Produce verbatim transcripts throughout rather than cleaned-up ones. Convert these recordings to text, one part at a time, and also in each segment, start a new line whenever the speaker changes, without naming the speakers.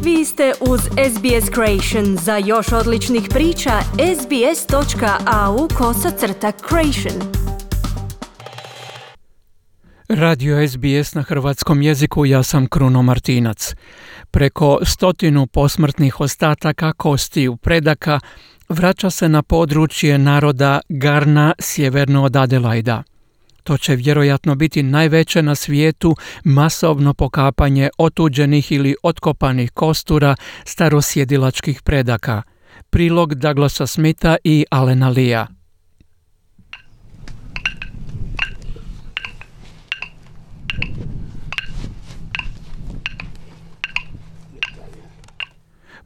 Vi ste uz S B S Creation. Za još odličnih priča, sbs.au kosacrta creation.
Radio S B S na hrvatskom jeziku, ja sam Kruno Martinac. Preko stotinu posmrtnih ostataka kostiju predaka vraća se na područje naroda Kaurna sjeverno od Adelaida. To će vjerojatno biti najveće na svijetu masovno pokapanje otuđenih ili otkopanih kostura starosjedilačkih predaka. Prilog Douglasa Smitha i Alena Lea.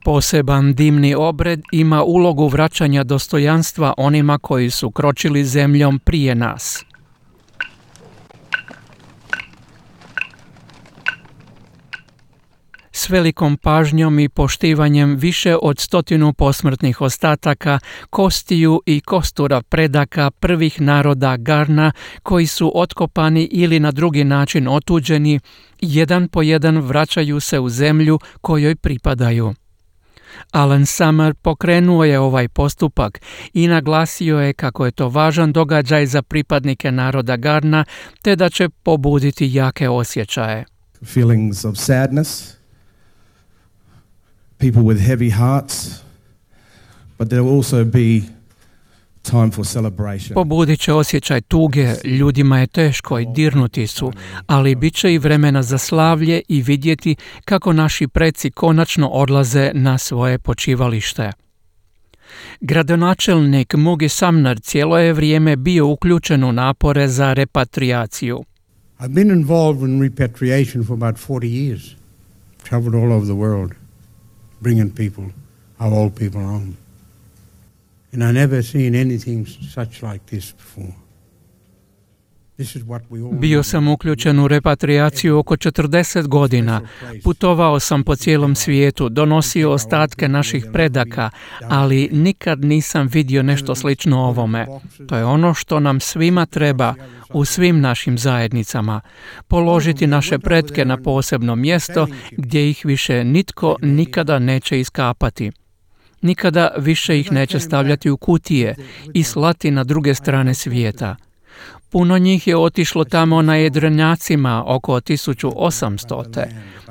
Poseban dimni obred ima ulogu vraćanja dostojanstva onima koji su kročili zemljom prije nas. S velikom pažnjom i poštivanjem više od stotinu posmrtnih ostataka, kostiju i kostura predaka prvih naroda Kaurna koji su otkopani ili na drugi način otuđeni, jedan po jedan vraćaju se u zemlju kojoj pripadaju. Alan Summer pokrenuo je ovaj postupak i naglasio je kako je to važan događaj za pripadnike naroda Kaurna, te da će pobuditi jake osjećaje.
Feelings of sadness, people with heavy hearts, but there will also be time for celebration.
Pobudit će osjećaj tuge, ljudima je teško i dirnuti su, ali bit će i vremena za slavlje i vidjeti kako naši preci konačno odlaze na svoje počivalište. Gradonačelnik Mugi Sumner cijelo je vrijeme bio uključen u napore za repatriaciju.
I've been involved in repatriation for about forty years. Traveled all over the world, bringing people, our old people home. And I never seen anything such like this before. This is what we all
Bio sam uključen u repatriaciju oko četrdeset godina. Putovao sam po cijelom svijetu, donosio ostatke naših predaka, ali nikad nisam vidio nešto slično ovome. To je ono što nam svima treba u svim našim zajednicama. Položiti naše pretke na posebno mjesto gdje ih više nitko nikada neće iskapati. Nikada više ih neće stavljati u kutije i slati na druge strane svijeta. Puno njih je otišlo tamo na jedrenjacima oko tisuću osamsto.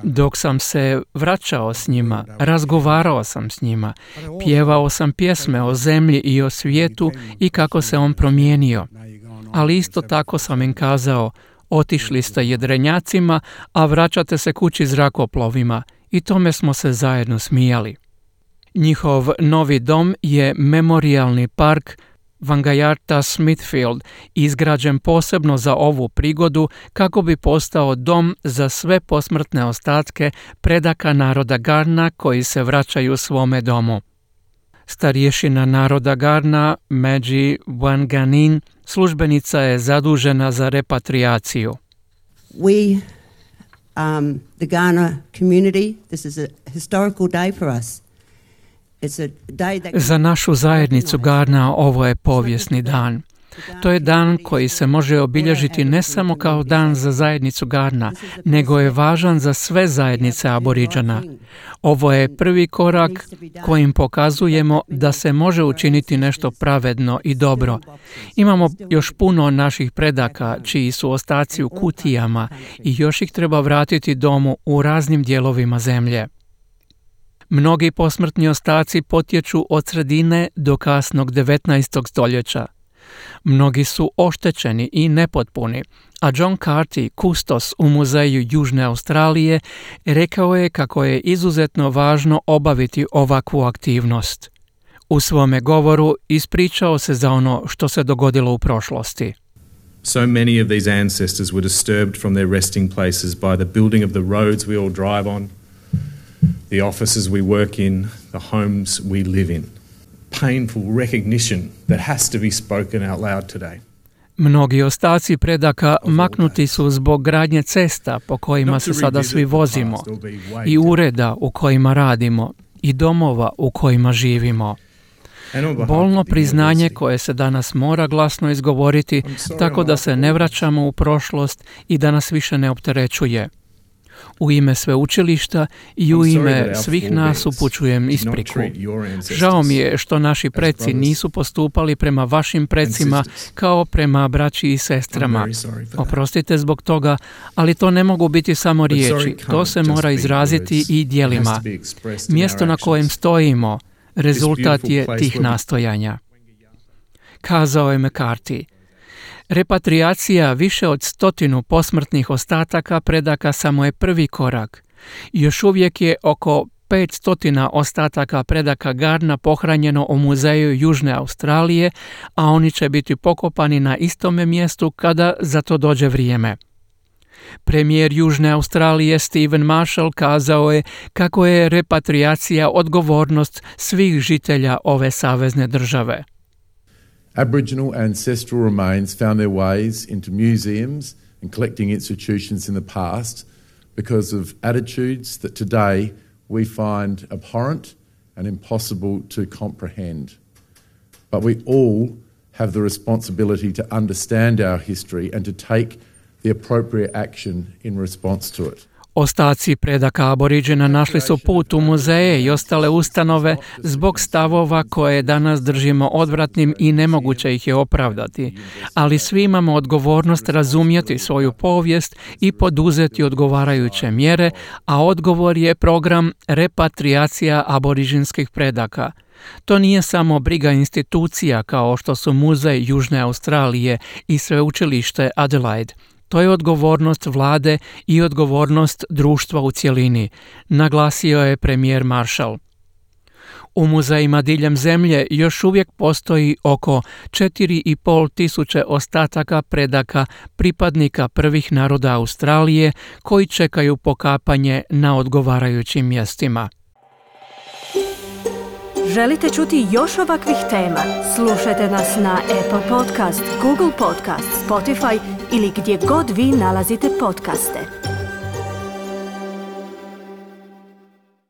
Dok sam se vraćao s njima, razgovarao sam s njima, pjevao sam pjesme o zemlji i o svijetu i kako se on promijenio. Ali isto tako sam im kazao, otišli ste jedrenjacima, a vraćate se kući zrakoplovima, i tome smo se zajedno smijali. Njihov novi dom je memorijalni park Wangayatja Smithfield, izgrađen posebno za ovu prigodu kako bi postao dom za sve posmrtne ostatke predaka naroda Kaurna koji se vraćaju svome domu. Starješina naroda Kaurna, Madji Wanganeen, službenica je zadužena za repatriaciju.
We, um, the Kaurna community, this is a historical day for us.
Za našu zajednicu Kaurna ovo je povijesni dan. To je dan koji se može obilježiti ne samo kao dan za zajednicu Kaurna, nego je važan za sve zajednice Aboriđana. Ovo je prvi korak kojim pokazujemo da se može učiniti nešto pravedno i dobro. Imamo još puno naših predaka čiji su ostaci u kutijama i još ih treba vratiti domu u raznim dijelovima zemlje. Mnogi posmrtni ostaci potječu od sredine do kasnog devetnaestog stoljeća. Mnogi su oštećeni i nepotpuni, a John Carty, kustos u Muzeju Južne Australije, rekao je kako je izuzetno važno obaviti ovakvu aktivnost. U svome govoru ispričao se za ono što se dogodilo u prošlosti.
So many of these ancestors were disturbed from their resting places by the building of the roads we all drive on, the offices we work in, the homes we live in. Painful recognition that has to be spoken out loud today.
Mnogi ostaci predaka maknuti su zbog gradnje cesta po kojima se sada svi vozimo, i ureda u kojima radimo, i domova u kojima živimo. Bolno priznanje koje se danas mora glasno izgovoriti tako da se ne vraćamo u prošlost i da nas više ne opterećuje. U ime sveučilišta i u ime svih nas upućujem ispriku. Žao mi je što naši preci nisu postupali prema vašim precima kao prema braći i sestrama. Oprostite zbog toga, ali to ne mogu biti samo riječi. To se mora izraziti i djelima. Mjesto na kojem stojimo, rezultat je tih nastojanja. Kazao je McCarthy. Repatriacija više od stotinu posmrtnih ostataka predaka samo je prvi korak. Još uvijek je oko petsto ostataka predaka Garna pohranjeno u muzeju Južne Australije, a oni će biti pokopani na istome mjestu kada za to dođe vrijeme. Premijer Južne Australije Stephen Marshall kazao je kako je repatriacija odgovornost svih žitelja ove savezne države.
Aboriginal ancestral remains found their ways into museums and collecting institutions in the past because of attitudes that today we find abhorrent and impossible to comprehend. But we all have the responsibility to understand our history and to take the appropriate action in response to it.
Ostaci predaka aboriđena našli su put u muzeje i ostale ustanove zbog stavova koje danas držimo odvratnim i nemoguće ih je opravdati. Ali svi imamo odgovornost razumjeti svoju povijest i poduzeti odgovarajuće mjere, a odgovor je program repatriacija aboriđinskih predaka. To nije samo briga institucija kao što su Muzej Južne Australije i sveučilište Adelaide. To je odgovornost vlade i odgovornost društva u cjelini, naglasio je premijer Marshall. U muzejima diljem zemlje još uvijek postoji oko četiri i pol tisuće ostataka predaka pripadnika prvih naroda Australije koji čekaju pokapanje na odgovarajućim mjestima.
Želite čuti još ovakvih tema? Slušajte nas na Apple Podcast, Google Podcast, Spotify ili gdje god vi nalazite podcaste.